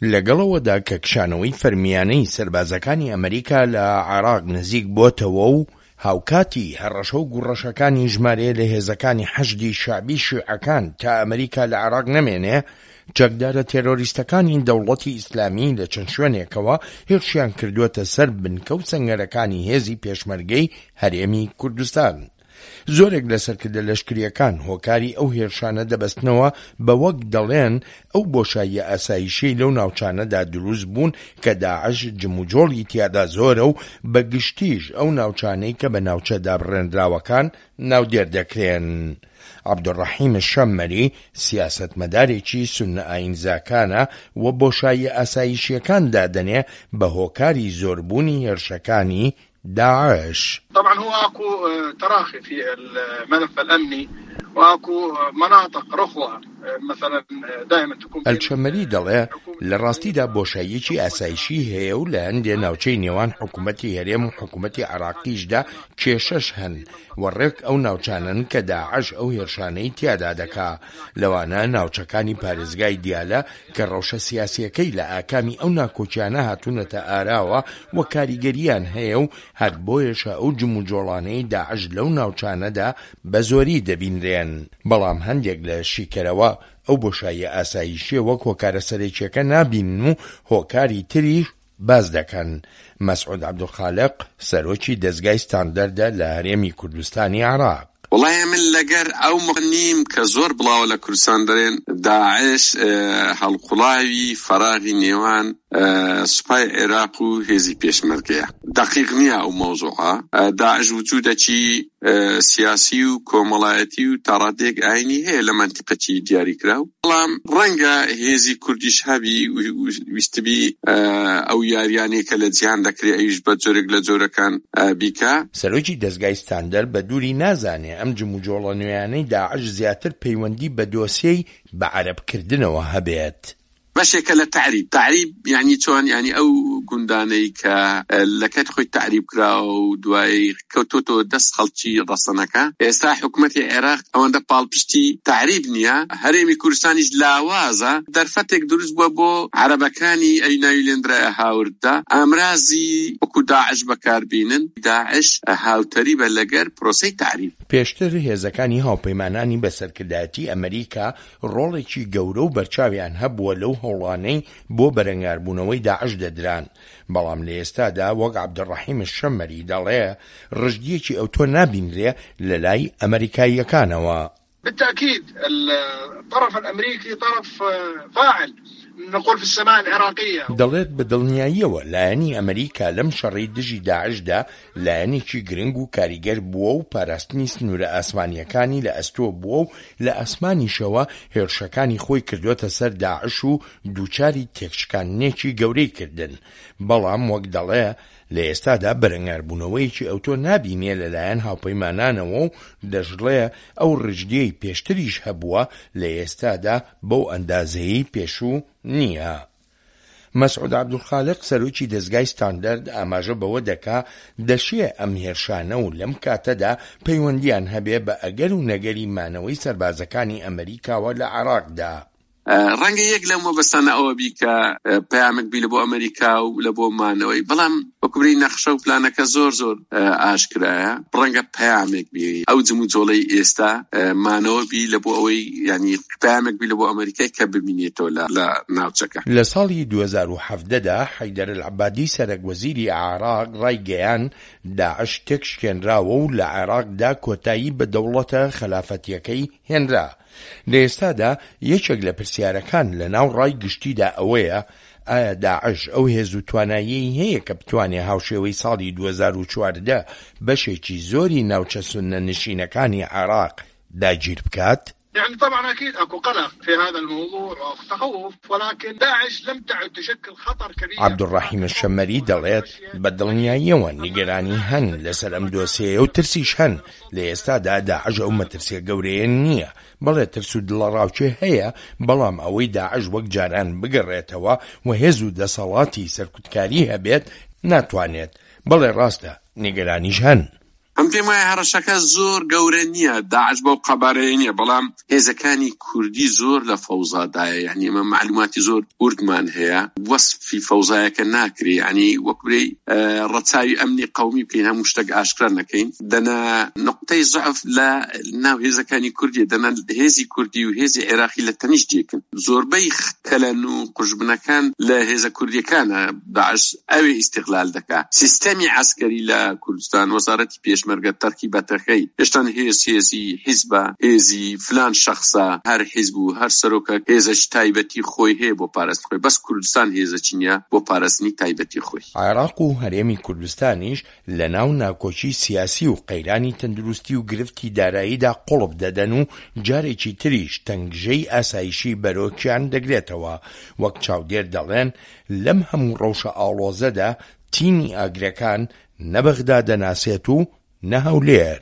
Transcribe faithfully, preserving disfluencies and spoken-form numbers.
لەگەڵ ئەوەدا کە کشانەوەی فەرمیانەی سەربازەکانی ئەمریکا لە عێراق نزیک بۆتەوە و هاوکاتی هەڕەشە و گوڕەشەکانی ژمارەیە لە هێزەکانی حەشدی شەعبی شیعەکان تا ئەمریکا لە عێراق نەمێنێ، چەکدارە تێرۆریستەکانی دەوڵەتی ئیسلامی لە چەند شوێنێکەوە هێرشیان کردووەتە سەر بنکە و سەنگەرەکانی هێزی پێشمەرگەی هەرێمی کوردستان. زۆرێک لە سەرکردە لەشکرییەکان هۆکاری ئەو هێرشانە دەبەستنەوە بە وەک دەڵێن ئەو بۆشاییە ئاسایشیەی لەو ناوچانەدا دروست بوون کە داعش جموجۆڵی تیادا زۆرە و بە گشتیش ئەو ناوچانەی کە بە ناوچە دابڕێنراوەکان ناودێر دەکرێن. عەبدولڕەحیم شەممەری سیاسەتمەدارێکی سوننە ئایینزاکانە و بۆشاییە ئاسایشییەکان دادەنێ بە هۆکاری زۆربوونی هێرشەکانی داعش. طبعا هو اكو تراخي في الملف الامني واكو مناطق رخوة مثلا دائما تكون الشەمەری دەڵێ لە ڕاستیدا بۆشاییەکی ئاسایشی هەیە و لە هەندێ ناوچەی نێوان حکوومەتی هەرێم و حکوومەتی عێراقیشدا کێشەش هەن و ڕێک ئەو ناوچانەن کە داعش ئەو هێرشانەی تیادا دەکا، لەوانە ناوچەکانی پارێزگای دیالە کە ڕەوشە سیاسییەکەی لە ئاکامی ئەو ناکۆکیانە هاتوونەتە ئاراوە و کاریگەرییان هەیە و هەر بۆیەشە ئەو جموجۆڵانەی داعش لەو ناوچانەدا بە زۆری دەبینرێن. بەڵام هەندێک لە شیکەرەوە ئەو بۆشاییە ئاسایشییە وەک هۆکارە سەرەکییەکە نابینن و هۆکاری تریش باس دەکەن. مەسعود عەبدولخالق، سەرۆکی دەزگای ستاندەردە لە هەرێمی کوردستانی عێراق. وەڵای ئەمن لەگەر ئەو نیم کە زۆر بڵاوە لە کوردستان دەرێن داعش هەڵقوڵاوی فەراغی نێوان سوپای عێراق و هێزی پێشمەرگەیە. دەقیق نییە ئەو مەوزوعە. داعش وجودەکی سیاسی و کۆمەڵایەتی و تاڕادەیەک ئاینی هەیە لە مەنتیقەکی دیاریکراو، بەڵام ڕەنگە هێزی کوردیش هەبی ویستبی ئەو یاریانەی کە لە جیهان دەکرێ ئەویش بە جۆرێک لە جۆرەکان بیکا. سەرۆکی دەزگای ستاندەر بە دووری نازانێ ئەم جموجۆڵە نوێیانەی داعش زیاتر پەیوەندی بە دۆسیەی بە عەرەبکردنەوە هەبێت. بەشێکە لە تەعریب. تەعریب یانی چۆن؟ یانی ئەو گوندانەی کە لە کاتی خۆی تەعریب کراوە و دوایی کەوتۆتەوە دەست خەڵکی ڕەسەنەکە. ئێستا حکومەتی عێراق ئەوەندە پاڵپشتی تەعریب نییە، هەرێمی کوردستانیش لاوازە، دەرفەتێک دروست بووە بۆ عەرەبەکانی ئەوی ناوی لێندرایە هاوردە ئامرازی وەکو داعش بەکاربینن. داعش هاوتەریبە لەگەر پرۆسەی تەعریب. پێشتر هێزەکانی هاوپەیمانانی بە سەرکردایەتی ئەمریکا ڕۆڵێکی گەورە و بەرچاویان هەبووە لەو هەوڵانەی بۆ بەرەنگاربوونەوەی داعش دەدران، بەڵام لە ئێستادا وەک عەبدولڕەحیم شەممەری دەڵێ ڕژدییەکی ئەوتۆ نابینرێ لەلای ئەمەریکاییەکانەوە. بالتأكيد الطرف الأمريكي طرف فاعل نقول في السماء العراقية. دەڵێت بە دڵنیاییەوە لایەنی ئەمەریکا لەم شەڕەی دژی داعشدا لایەنێکی گرنگ و کاریگەر بووە و پاراستنی سنوورە ئاسمانییەکانی لە ئەستۆ بووە و لە ئاسمانیشەوە هێرشەکانی خۆی کردووەتە سەر داعش و دووچاری تێکشکاندنێکی گەورەی کردن، بەڵام وەک دەڵێ لە ئێستادا بەرەنگاربوونەوەیەکی ئەوتۆ نابینێ لەلایەن هاوپەیمانانەوە و دەشڵێ ئەو ڕژدیەی پێشتریش هەبووە لە ئێستادا بەو ئەندازەیەی پێشوو نییە. مەسعود عەبدولخالق سەرۆکی دەزگای ستاندەرد ئاماژە بەوە دەکا دەشێ ئەم هێرشانە و لەم کاتەدا پەیوەندیان هەبێ بە ئەگەر و نەگەری مانەوەی سەربازەکانی ئەمریکاوە لە عێراقدا. ڕەنگە یەک لەو مەبەستانە ئەوە بی کە پەیامێک بی لە بۆ ئەمریکا و لە بۆ مانەوەی، بەڵام وەکو بڵێی نەخشە و پلانەکە زۆر زۆر ئاشکرایە. ڕەنگە پەیامێک بی ئەو جموجۆڵەی ئێستا مانەوە بی لە بۆ ئەوەی یعنی پەیامێک بی لە بۆ ئەمریکای کە ببینێتەوە لە ناوچەکە. لە ساڵی دوو هەزار و حەڤدە دا حەیدەر ئەلعەبادی سەرەک وەزیری عێراق ڕایگەیاند داعش تێکشکێنراوە و لە عێراقدا کۆتایی بە دەوڵەتە خەلافەتیەکەی هێنرا. لە ئێستادا یەکێک لە پرسیارەکان لە ناو ڕای گشتیدا ئەوەیە ئایا داعش ئەو هێز و تواناییەی هەیە کە بتوانێ هاوشێوەی ساڵی دوو هەزار و چواردە بەشێکی زۆری ناوچە سوننە نشینەکانی عێراق داگیر بکات؟ یعنی طبعا اكيد اكو قلق في هذا الموضوع واكو تخوف ولكن داعش لم تعد تشكل خطر كبير. عەبدولڕەحیم شەممەری دەڵێت، بە دڵنیاییەوە نیگەرانی هەن لەسەر ئەم دۆسیەیە و ترسیش هەن، لە ئێستادا داعش ئەو مەترسیە گەورەیە نییە، بەڵێ ترس و دڵەڕاوکێ هەیە، بەڵام ئەوەی داعش وەک جاران بگەڕێتەوە و هێز و دەسەڵاتی سەرکوتکاری هەبێت ناتوانێت، بەڵێ ڕاستە نیگەرانیش هەن. ئەم پێم وایە هەڕەشەکە زۆر گەورە نییە، داعش بەو قەبارەیە نییە، بەڵام هێزەکانی کوردی زۆر لە فەوزادایە، یعنی ئێمە مەعلوماتی زۆر وردمان هەیە، وەسفی فەوزایەکە ناکرێ، یعنی وەک برێی ڕەچاوی ئەمنی قەومی بکەین، هەموو شتێک ئاشکرا نەکەین، دەنا نقطەی زەعف لە ناو هێزەکانی کوردیە، دەنا هێزی کوردی و هێزی عێراقی لە تەنیشت یەکن. زۆربەی کەلەن و قوژبنەکان لە هێزە کوردیەکانە، داعش ئەوێ ئیستیغلال دەکا. سیستەمی عەسکەری لە کوردستان، وەزارەتی پێشمەرگە، تەرکیبەتەکەی هێشتان هێز هێزی حیزبە، هێزی فلان شەخسە، هەر حیزب و هەر سەرۆکە هێزەکی تایبەتی خۆی هەیە بۆ پاراستنی خۆی، بەس کوردستان هێزەکی نییە بۆ پاراستنی تایبەتی خۆی. عێراق و هەرێمی کوردستانیش لەناو ناکۆکی سیاسی و قەیرانی تەندروستی و گرفتی داراییدا قوڵپ دەدەن و جارێکی تریش تەنگژەی ئاسایشی بەرۆکیان دەگرێتەوە، وەک چاودێر دەڵێن لەم هەموو ڕەوشە ئاڵۆزەدا تینی ئاگرەکان نە بەغدا دەناسێت و نە هەولێر.